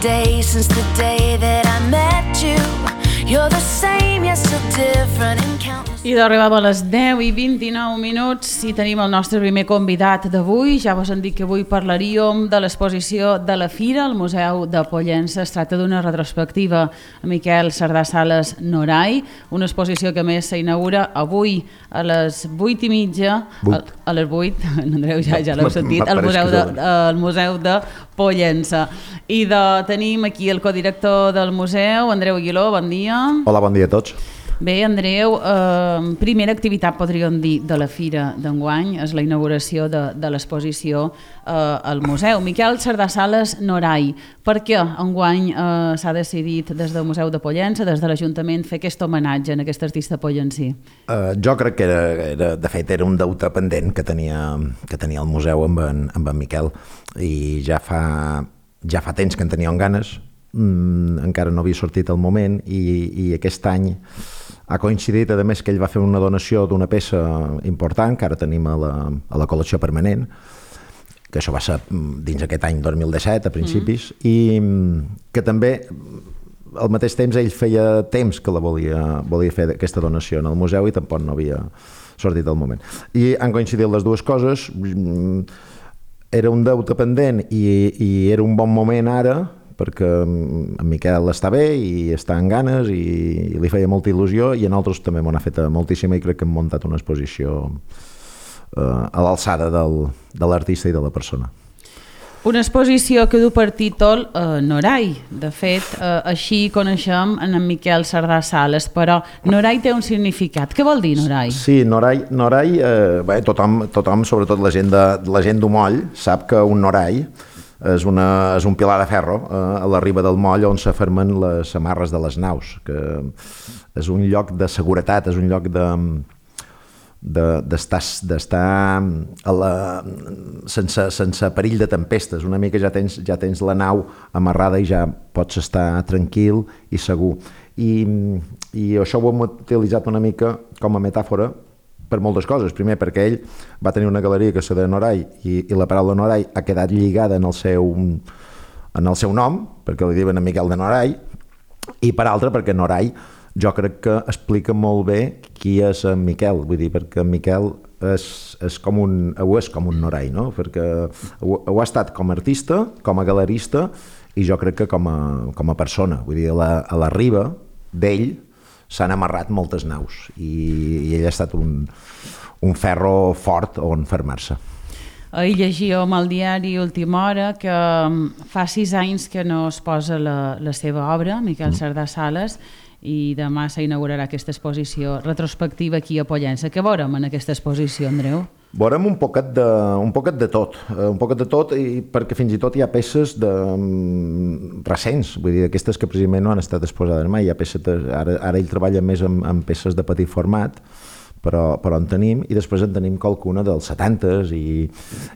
day since the day that I met you. You're the same, yet so different in countless... I d'arribada a les 10:29 i tenim el nostre primer convidat d'avui. Ja vos han dit que avui parlaríem de l'exposició de la Fira al Museu de Pollença. Es tracta d'una retrospectiva a Miquel Cerdà Sales Noray, una exposició que a més s'inaugura avui a les 8:30, a les 8, Andreu, ja l'heu sentit, al Museu de Pollença. I tenim aquí el codirector del museu, Andreu Aguiló, bon dia. Hola, bon dia a tots. Bé, Andreu, primera activitat, podríem dir, de la Fira d'enguany és la inauguració de l'exposició al museu. Miquel Cerdà Sales Noray, per què enguany s'ha decidit des del Museu de Pollença, des de l'Ajuntament, fer aquest homenatge a aquest artista pollencí? Jo crec que de fet era un deute pendent que tenia el museu amb en Miquel, i ja fa temps que en teníem ganes, encara no havia sortit el moment, i aquest any ha coincidit, a més, que ell va fer una donació d'una peça important que ara tenim a la col·lecció permanent, que això va ser dins aquest any 2017, a principis, i que també al mateix temps ell feia temps que la volia fer aquesta donació en el museu i tampoc no havia sortit el moment. I han coincidit les dues coses. Era un deute pendent i era un bon moment ara, perquè en Miquel està bé i està en ganes i li feia molta il·lusió, i a nosaltres també m'ho ha fet moltíssima, i crec que hem muntat una exposició a l'alçada de l'artista i de la persona. Una exposició que du per títol Noray. De fet, així coneixem en Miquel Cerdà Sales, però Noray té un significat. Què vol dir Noray? Sí, Noray, tothom, sobretot la gent d'Umoll, sap que un Noray és un pilar de ferro a la riba del moll on s'afermen les amarres de les naus, que és un lloc de seguretat, és un lloc d'estar sense perill de tempestes. Una mica ja tens la nau amarrada i ja pots estar tranquil i segur. I això ho hem utilitzat una mica com a metàfora per moltes coses. Primer, perquè ell va tenir una galeria que se deia Noray, i la paraula Noray ha quedat lligada en el seu nom, perquè li diuen a Miquel de Noray, i per altra, perquè Noray jo crec que explica molt bé qui és en Miquel, vull dir, perquè en Miquel és com un Noray, no? Perquè ho ha estat com a artista, com a galerista, i jo crec que com a persona. Vull dir, a la riba d'ell s'han amarrat moltes naus, i ell ha estat un ferro fort on fermar-se. Ahir llegíem al diari Última Hora que fa 6 anys que no es posa la seva obra, Miquel Cerdà Sales, i demà s'inaugurarà aquesta exposició retrospectiva aquí a Pollença. Què veurem en aquesta exposició, Andreu? Veurem un poquet de tot, perquè fins i tot hi ha peces recents, vull dir, aquestes que precisament no han estat exposades mai. Hi ha peces, ara ell treballa més amb peces de petit format, però en tenim, i després en tenim qualcuna dels 70s, i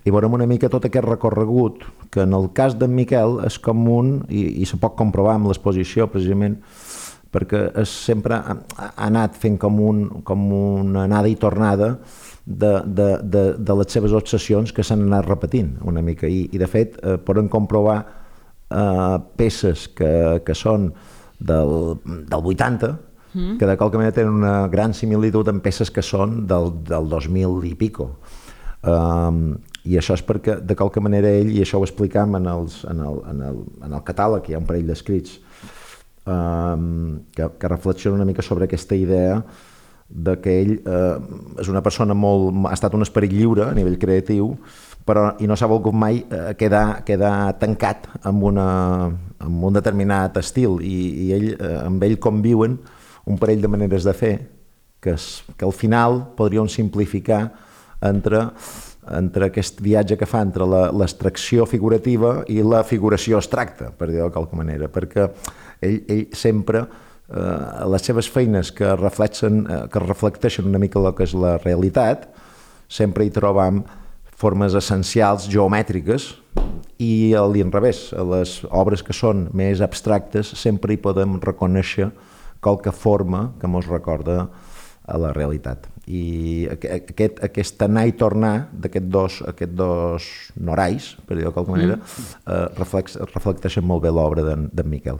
veurem una mica tot aquest recorregut, que en el cas d'en Miquel és com i se pot comprovar amb l'exposició precisament, perquè sempre ha anat fent com una anada i tornada de les seves obsessions que s'han anat repetint una mica, i de fet poden comprovar peces que són del 80, que de qualque manera tenen una gran similitud amb peces que són del 2000 i pico, i això és perquè de qualque manera ell, i això ho explicam en el catàleg, hi ha un parell d'escrits que reflexiona una mica sobre aquesta idea de que ell és una persona ha estat un esperit lliure a nivell creatiu, i no s'ha volgut mai quedar tancat amb un determinat estil, i amb ell conviuen un parell de maneres de fer que al final podríem simplificar entre aquest viatge que fa entre l'extracció figurativa i la figuració abstracta, per dir-ho de qualque manera, perquè ell sempre, les seves feines que reflecteixen una mica el que és la realitat, sempre hi trobam formes essencials geomètriques, i a l'inrevés, a les obres que són més abstractes sempre hi podem reconèixer qualque forma que ens recorda a la realitat. I aquest anar i tornar d'aquests dos norais, per dir-ho de qualque manera, reflecteixen molt bé l'obra d'en Miquel.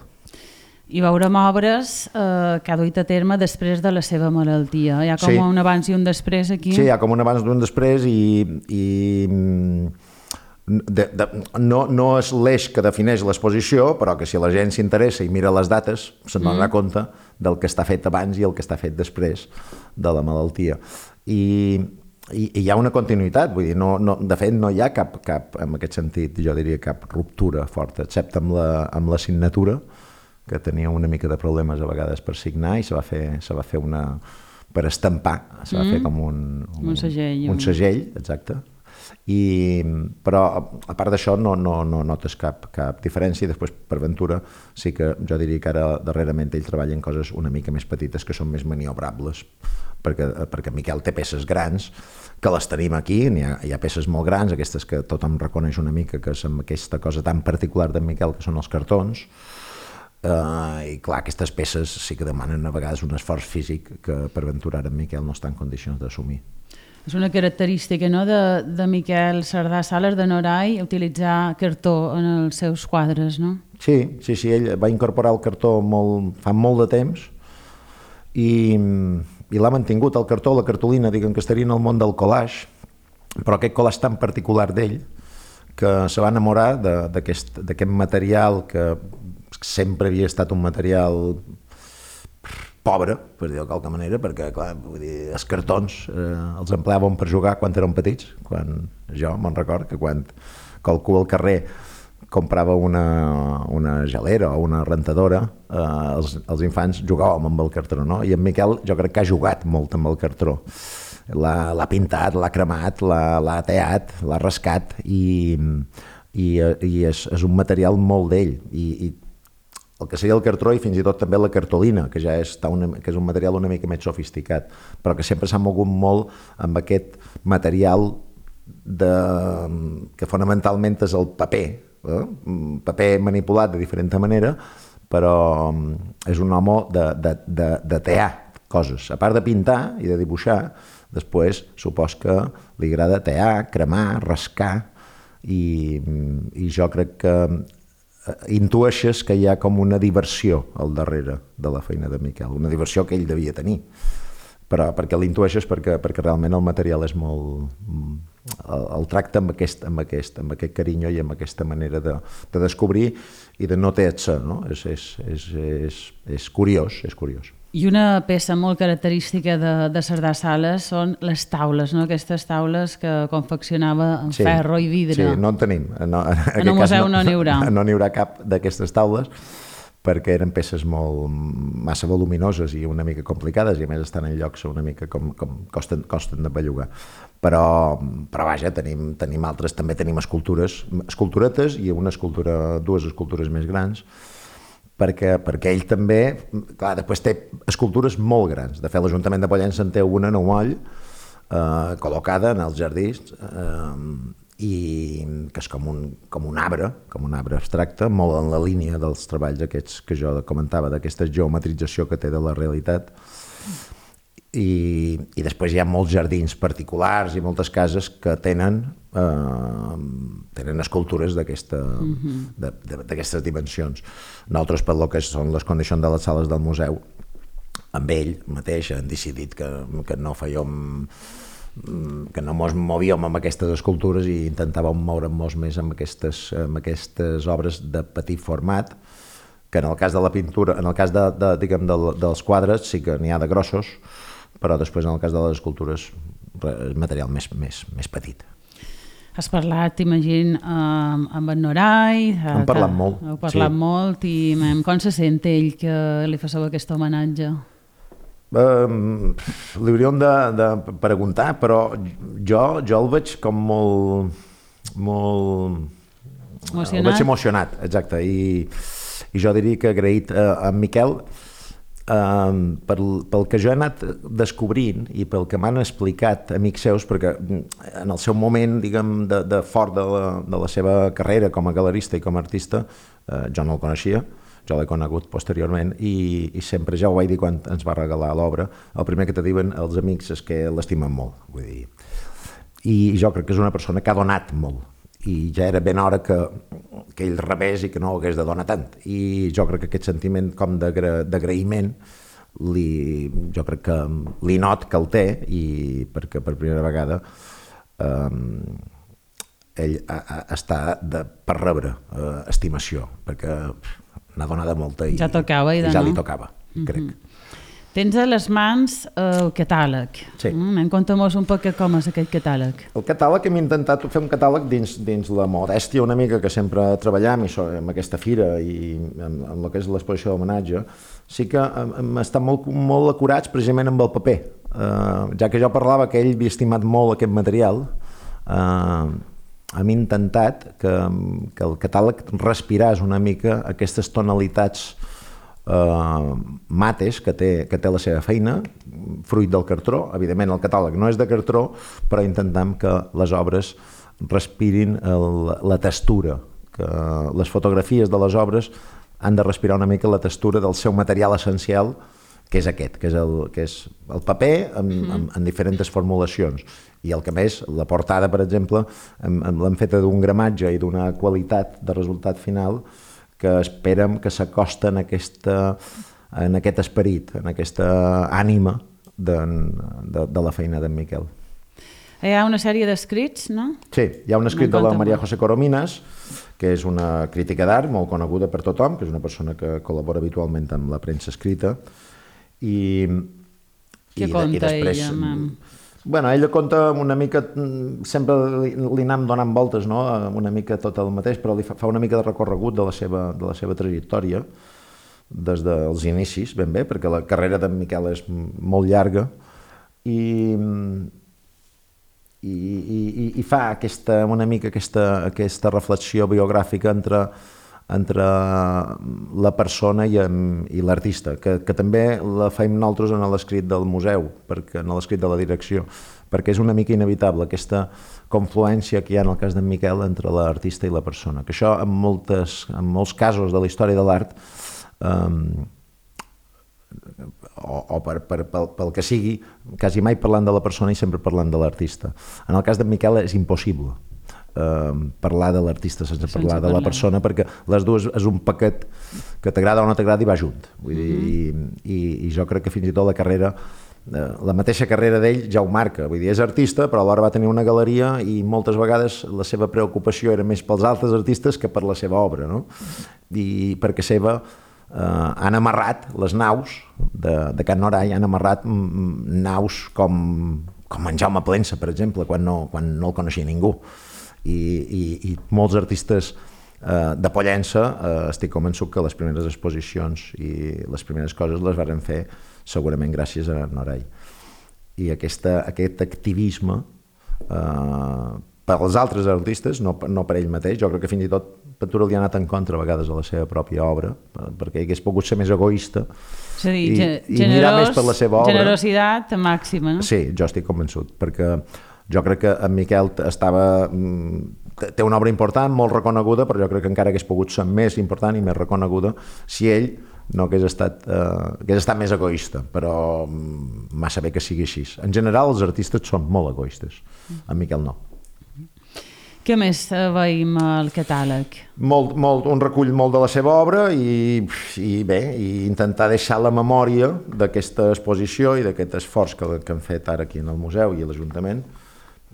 I veurem obres que ha duit a terme després de la seva malaltia. Hi ha com un abans i un després aquí? Sí, hi ha com un abans i un després i no és l'eix que defineix l'exposició, però que si la gent s'interessa i mira les dates se'n donarà compte del que està fet abans i el que està fet després de la malaltia. I hi ha una continuïtat, vull dir, de fet no hi ha cap, en aquest sentit, jo diria cap ruptura forta, excepte amb la signatura, que tenia una mica de problemes a vegades per signar i se va fer una per estampar, se va fer com un segell, exacte. Però a part d'això no notes cap diferència, i després per ventura sí que jo diria que ara darrerament ell treballa en coses una mica més petites que són més maniobrables, perquè Miquel té peces grans que les tenim aquí, hi ha peces molt grans, aquestes que tothom reconeix una mica, que és aquesta cosa tan particular d'en Miquel, que són els cartons, i clar, aquestes peces sí que demanen a vegades un esforç físic que per ventura ara en Miquel no està en condicions d'assumir. És una característica, no?, de Miquel Cerdà Sales de Noray, utilitzar cartó en els seus quadres, no? Sí, ell va incorporar el cartó fa molt de temps i l'ha mantingut, el cartó, la cartolina, diguem que estaria en el món del collage, però aquest collage tan particular d'ell que se va enamorar d'aquest material que sempre havia estat un material pobre, per dir-ho de qualque manera, perquè, clar, vull dir, els cartons els empleàvem per jugar quan érem petits, quan jo me'n record que quan qualcú al carrer comprava una gelera o una rentadora, els infants jugàvem amb el cartró, no? I en Miquel jo crec que ha jugat molt amb el cartró. L'ha pintat, l'ha cremat, l'ha teat, l'ha rascat i és un material molt d'ell. I el que seria el cartró i fins i tot també la cartolina, que ja és un material una mica més sofisticat, però que sempre s'ha mogut molt amb aquest material que fonamentalment és el paper, paper manipulat de diferent manera, però és un home de tear coses. A part de pintar i de dibuixar, després supos que li agrada tear, cremar, rascar, i jo crec que intueixes que hi ha com una diversió al darrere de la feina de Miquel, una diversió que ell devia tenir, però perquè l'intueixes perquè realment el material és molt... el tracta amb aquest carinyo i amb aquesta manera de descobrir i de no ter-se, no? És curiós, és curiós. I una peça molt característica de Cerdà Sales són les taules, no? Aquestes taules que confeccionava en ferro i vidre. Sí, no en tenim. En el museu no n'hi haurà. No n'hi haurà cap d'aquestes taules, perquè eren peces massa voluminoses i una mica complicades, i a més estan en llocs una mica com costen de bellugar. Però vaja, tenim altres, també tenim esculturetes i dues escultures més grans, perquè ell també, clar, després té escultures molt grans. De fet, l'Ajuntament de Pollença en té una en un moll, col·locada en els jardins, i que és com un arbre abstracte, molt en la línia dels treballs aquests que jo comentava, d'aquesta geometrització que té de la realitat. I després hi ha molts jardins particulars i moltes cases que tenen escultures d'aquestes dimensions. Nosaltres, per lo que són les condicions de les sales del museu, amb ell mateix han decidit que no fèiem, que no ens movíem amb aquestes escultures i intentàvem moure'ns més amb aquestes obres de petit format, que en el cas de la pintura, en el cas dels quadres sí que n'hi ha de grossos, però després en el cas de les escultures és material més petit. Has parlat, imagino, amb en Noray. Hem parlat molt. Heu parlat molt i com se sent ell que li fasseu aquest homenatge? Li hauríem de preguntar, però jo el veig com molt emocionat. El veig emocionat, exacte, i jo diria que agraït a en Miquel pel que jo he anat descobrint i pel que m'han explicat amics seus, perquè en el seu moment, diguem, de fort de la seva carrera com a galerista i com a artista, jo no el coneixia, jo l'he conegut posteriorment i sempre, ja ho vaig dir quan ens va regalar l'obra, el primer que te diuen els amics és que l'estimen molt, vull dir. I jo crec que és una persona que ha donat molt i ja era ben hora que ell rebés i que no hagués de donar tant. I jo crec que aquest sentiment com d'agraïment jo crec que li not que el té, i perquè per primera vegada ell està per rebre estimació, perquè n'ha donada molta i ja tocava, ja li tocava, crec. Tens a les mans el catàleg. Sí. Conta'm-nos un poc com és aquest catàleg. El catàleg, hem intentat fer un catàleg dins la modèstia una mica que sempre treballam, amb aquesta fira i amb el que és l'exposició d'homenatge. Sí que hem estat molt acurats precisament amb el paper. Ja que jo parlava que ell havia estimat molt aquest material, hem intentat que el catàleg respirés una mica aquestes tonalitats mates que té la seva feina, fruit del cartró. Evidentment el catàleg no és de cartró, però intentem que les obres respirin la textura, que les fotografies de les obres han de respirar una mica la textura del seu material essencial, que és aquest, que és el paper en diferents formulacions. I el que més, la portada, per exemple, l'hem feta d'un gramatge i d'una qualitat de resultat final que esperem que s'acosta en aquest esperit, en aquesta ànima de la feina d'en Miquel. Hi ha una sèrie d'escrits, no? Sí, hi ha un escrit de la Maria José Corominas, que és una crítica d'art molt coneguda per tothom, que és una persona que col·labora habitualment amb la premsa escrita. Què conta ella? Bueno, ella conta una mica, sempre li anem donant voltes, no? Una mica tot el mateix, però li fa una mica de recorregut de la seva trajectòria des dels inicis, ben bé, perquè la carrera d'en Miquel és molt llarga i fa una mica aquesta reflexió biogràfica entre la persona i l'artista, que també la fem nosaltres en l'escrit del museu, en l'escrit de la direcció, perquè és una mica inevitable aquesta confluència que hi ha en el cas d'en Miquel entre l'artista i la persona, que això en molts casos de la història de l'art o pel que sigui, quasi mai parlant de la persona i sempre parlant de l'artista. En el cas d'en Miquel és impossible parlar de l'artista sense parlar de la persona, perquè les dues és un paquet que t'agrada o no t'agrada i va junt. Vull dir, i jo crec que fins i tot la carrera, la mateixa carrera d'ell ja ho marca. Vull dir, és artista, però alhora va tenir una galeria i moltes vegades la seva preocupació era més pels altres artistes que per la seva obra, no? I perquè han amarrat les naus de Can Noray, han amarrat naus com en Jaume Plensa, per exemple, quan no el coneixia ningú. I molts artistes de Pollença, estic convençut que les primeres exposicions i les primeres coses les varen fer segurament gràcies a Noray. I aquest activisme per als altres artistes, no per ell mateix, jo crec que fins i tot Ventura li ha anat en contra a vegades a la seva pròpia obra, perquè hagués pogut ser més egoista i mirar més per la seva obra. Generositat màxima, no? Sí, jo estic convençut, perquè jo crec que en Miquel té una obra important, molt reconeguda, però jo crec que encara hagués pogut ser més important i més reconeguda si ell no hagués estat més egoista, però massa bé que sigui així. En general, els artistes són molt egoistes, en Miquel no. Què més veiem al catàleg? Un recull molt de la seva obra i intentar deixar la memòria d'aquesta exposició i d'aquest esforç que han fet ara aquí en el museu i a l'Ajuntament,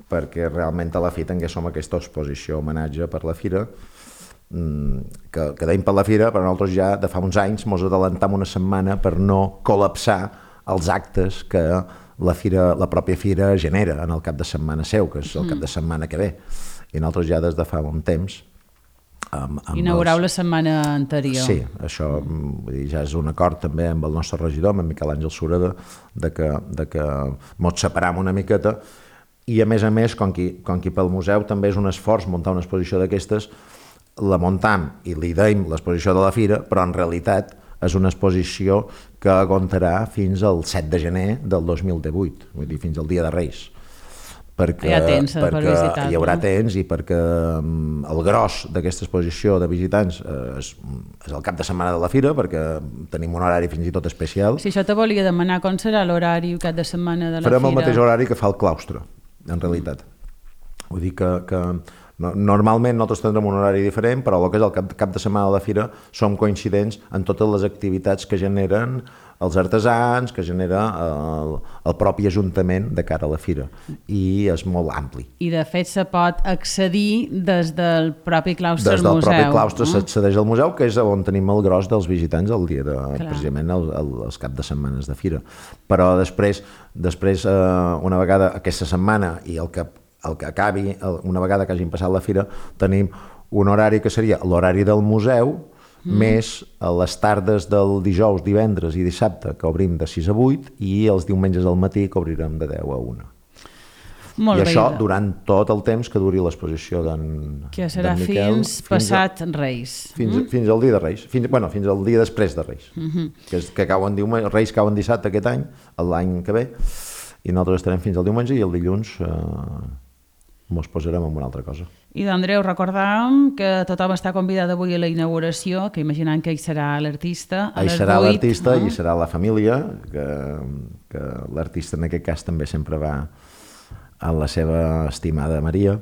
perquè realment a la fi tinguéssim aquesta exposició homenatge per la fira, que deim per la fira, però nosaltres ja de fa uns anys ens adelantam una setmana per no col·lapsar els actes que la pròpia fira genera en el cap de setmana seu, que és el cap de setmana que ve. I nosaltres ja des de fa un temps... Inaugurau la setmana anterior. Sí, això ja és un acord també amb el nostre regidor, amb en Miquel Àngel Sureda, de que mos separam una miqueta i a més, com que pel museu també és un esforç muntar una exposició d'aquestes, la muntam i li deim l'exposició de la fira, però en realitat és una exposició que aguantarà fins al 7 de gener del 2018, vull dir, fins al dia de Reis. perquè, hi ha temps per visitar. Hi haurà temps i perquè el gros d'aquesta exposició de visitants és el cap de setmana de la fira, perquè tenim un horari fins i tot especial. Si això te volia demanar, com serà l'horari cap de setmana de la Farem fira? el mateix horari que fa el claustre, en realitat. Vull dir que normalment nosaltres tindrem un horari diferent, però el que és el cap de setmana de la fira som coincidents en totes les activitats que generen els artesans, que genera el propi ajuntament de cara a la fira, i és molt ampli. I de fet se pot accedir des del propi claustre al museu. Des del propi claustre s'accedeix al museu, que és on tenim el gros dels visitants el dia de, precisament els cap de setmanes de fira. Però després una vegada aquesta setmana i el que acabi, una vegada que hagin passat la fira, tenim un horari que seria l'horari del museu, més a les tardes del dijous, divendres i dissabte, que obrim de 6 a 8, i els diumenges al matí que obrirem de 10 a 1. Molt I bé. això durant tot el temps que duri l'exposició d'en que serà Miquel, fins passat Reis. Fins al dia de Reis, fins al dia després de Reis, que cauen diumenge, Reis cauen dissabte aquest any, l'any que ve, i nosaltres estarem fins al diumenge, i el dilluns mos posarem en una altra cosa. I d'Andreu, recordàvem que tothom està convidat avui a la inauguració, que imaginant que hi serà l'artista a les 8. Hi serà l'artista i serà la família, que l'artista en aquest cas també sempre va a la seva estimada Maria,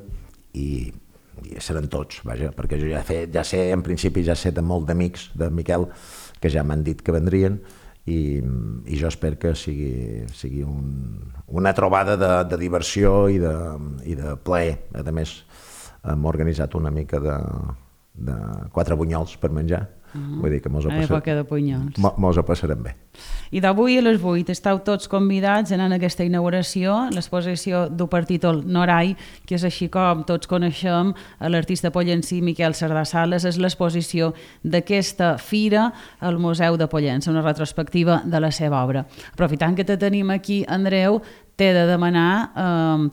i seran tots, vaja, perquè jo ja sé, en principi ja sé de molt d'amics de Miquel que ja m'han dit que vendrien, i jo espero que sigui una trobada de diversió i de plaer. A més, hem organitzat una mica de 4 bunyols per menjar. Vull dir que mos ho passarem bé. I d'avui a les 8 esteu tots convidats a anar a aquesta inauguració, l'exposició du per títol Norai, que és així com tots coneixem a l'artista pollencí Miquel Cerdà Sales. És l'exposició d'aquesta fira al Museu de Pollença, una retrospectiva de la seva obra. Aprofitant que te tenim aquí, Andreu, t'he de demanar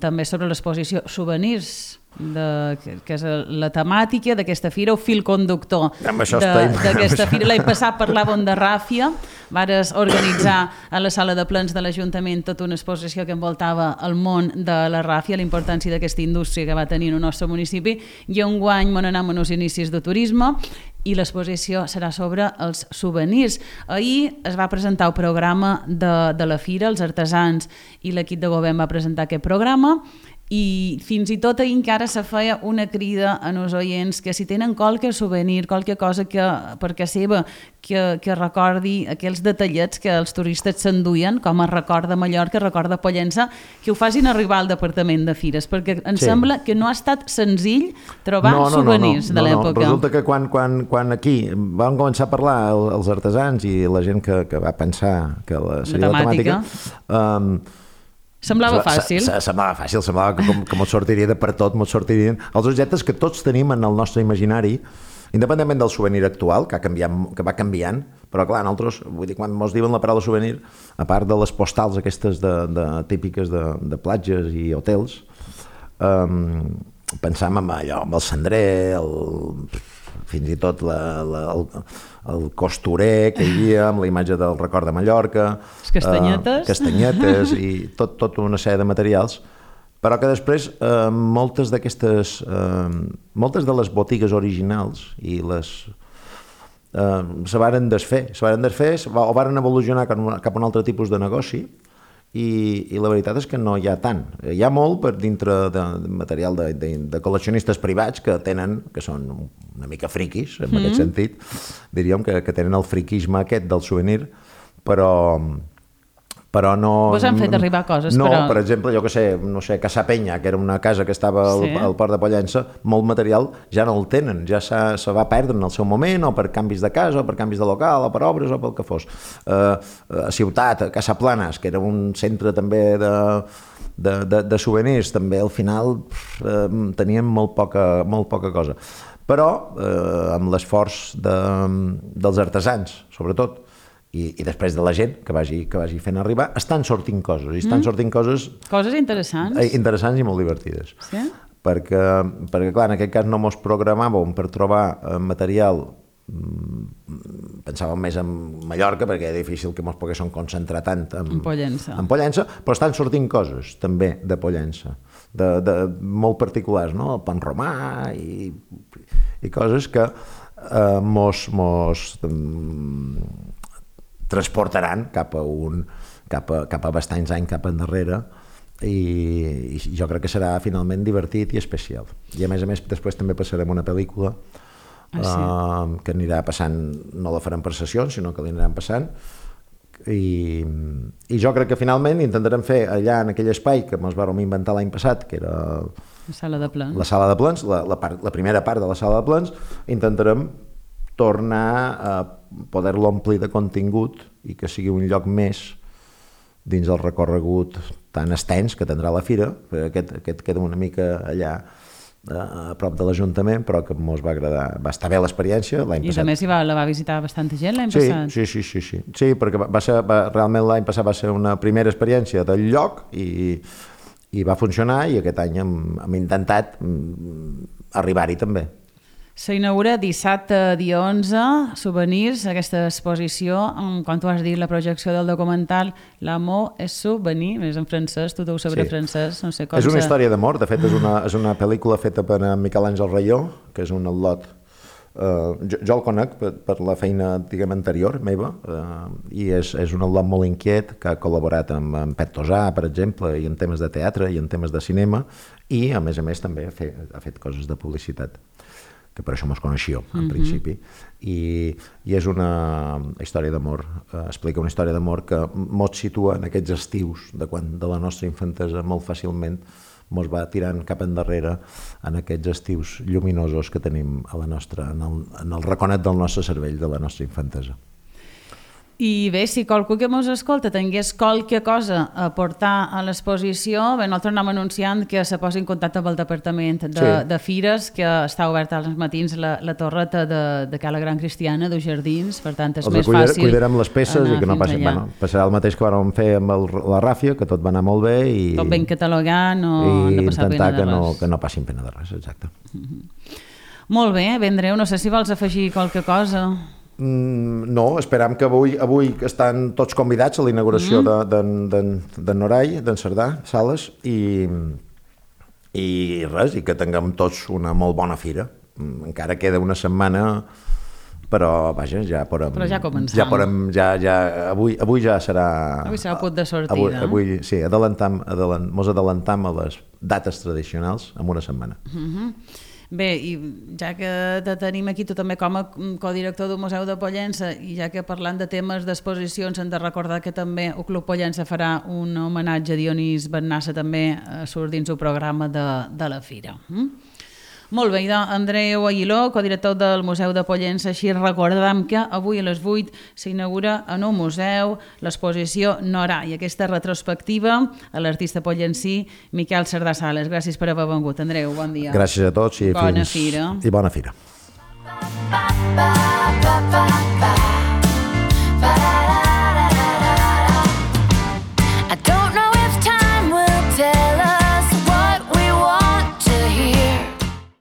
també sobre l'exposició Souvenirs, que és la temàtica d'aquesta fira, o fil conductor d'aquesta fira. L'any passat parlàvem de ràfia, vares organitzar a la sala de plens de l'Ajuntament tota una exposició que envoltava el món de la ràfia, la importància d'aquesta indústria que va tenir en el nostre municipi, i enguany m'on anem en els inicis de turisme, i l'exposició serà sobre els souvenirs. Ahir es va presentar el programa de la fira, els artesans i l'equip de govern va presentar aquest programa, i fins i tot ahir encara se feia una crida a els oients que si tenen qualque souvenir, qualque cosa per casa seva que recordi aquells detallets que els turistes s'enduien com a record de Mallorca, record de Pollença, que ho facin arribar al Departament de Fires, perquè em sembla que no ha estat senzill trobar souvenirs de l'època. Resulta que quan aquí vam començar a parlar els artesans i la gent que va pensar que seria la temàtica, semblava fàcil. Semblava que mos sortiria de per tot, mos sortirien els objectes que tots tenim en el nostre imaginari, independentment del souvenir actual, que va canviant, però clar, nosaltres, vull dir, quan mos diuen la paraula souvenir, a part de les postals aquestes típiques de platges i hotels, pensàvem en allò, amb el cendrer, fins i tot el costurer que hi havia, amb la imatge del record de Mallorca, castanyetes i tota una sèrie de materials, però que després moltes de les botigues originals i se varen desfer o varen evolucionar cap a un altre tipus de negoci, i la veritat és que no hi ha tant. Hi ha molt per dintre de material de col·leccionistes privats que són una mica friquis, en aquest sentit, diríem que tenen el friquisme aquest del souvenir, però no... Vos han fet arribar coses, no, però... Per exemple, jo que sé, Casa Penya, que era una casa que estava al Port de Pollença, molt material ja no el tenen, ja se va perdre en el seu moment, o per canvis de casa, o per canvis de local, o per obres, o pel que fos. A Ciutat, a Casa Planes, que era un centre també de souvenirs, també al final tenien molt poca cosa. Però amb l'esforç dels artesans, sobretot, i després de la gent que vagi fent arribar, estan sortint coses, i estan sortint coses interessants i molt divertides. Sí? Perquè clar, en aquest cas no mos programàvem per trobar material, pensàvem més en Mallorca, perquè era difícil que mos poguéssim concentrar tant en Pollença, però estan sortint coses també de Pollença. molt particulars, no? El pan romà i coses que mos transportaran cap a bastants anys cap endarrere, i jo crec que serà finalment divertit i especial. I a més després també passarem una pel·lícula que anirà passant, no la farem per sessions, sinó que l'aniran passant, i jo crec que finalment intentarem fer allà en aquell espai que ens vam inventar l'any passat, que era la sala de plens, la primera part de la sala de plens, intentarem tornar a poder-lo omplir de contingut i que sigui un lloc més dins del recorregut tan extens que tindrà la fira. Aquest queda una mica allà a prop de l'Ajuntament, però que ens va agradar. Va estar bé l'experiència l'any passat. I a més la va visitar bastanta gent l'any passat. Sí, perquè realment l'any passat va ser una primera experiència del lloc i va funcionar, i aquest any hem intentat arribar-hi també. S'inaugura dissabte, dia 11, Souvenirs, aquesta exposició, quan tu has dit la projecció del documental L'amour és souvenir, més en francès, tu ho sabré francès, no sé com. És una història d'amor, de fet és una pel·lícula feta per Miquel Àngel Rayó, que és un al·lot. Jo el conec per la feina, diguem, anterior meva, i és un al·lot molt inquiet que ha col·laborat amb Pet Tosà, per exemple, i en temes de teatre i en temes de cinema, i a més també ha fet coses de publicitat, que per això mos coneixíeu, en principi, i és una història d'amor, explica una història d'amor que mos situa en aquests estius de la nostra infantesa, molt fàcilment mos va tirant cap endarrere en aquests estius lluminosos que tenim en el raconet del nostre cervell, de la nostra infantesa. I bé, si qualcú que mos escolta tingués qualque cosa a portar a l'exposició, bé, nosaltres anem anunciant que se posi en contacte amb el Departament de Fires, que està oberta als matins la torreta de Cala Gran Cristiana, dels Jardins, per tant és més fàcil. Cuidarem les peces i que no passi. Passarà el mateix que vam fer amb la Ràfia, que tot va anar molt bé. Tot ben catalogat, no han de passar pena de res. Que no passin pena de res, exacte. Molt bé, Andreu, no sé si vols afegir qualque cosa. No, esperam que avui estan tots convidats a la inauguració d'en Norai, d'en Cerdà Sales, i res, i que tinguem tots una molt bona fira. Encara queda una setmana, però vaja, ja podem... Però ja començam. Avui ja serà... Avui serà el punt de sortida. Avui, sí, mos adelantam a les dates tradicionals en una setmana. Bé, i ja que te tenim aquí tu també com a codirector del Museu de Pollença, i ja que parlant de temes d'exposicions hem de recordar que també el Club Pollença farà un homenatge a Dionís Bennassa, també surt dins el programa de la fira. Molt bé, Andreu Aguiló, codirector del Museu de Pollença, així recordam que avui a les 8 s'inaugura en un museu l'exposició Norà i aquesta retrospectiva a l'artista pollencí Miquel Cerdà Sales. Gràcies per haver vengut, Andreu, bon dia. Gràcies a tots i bona fira. I bona fira.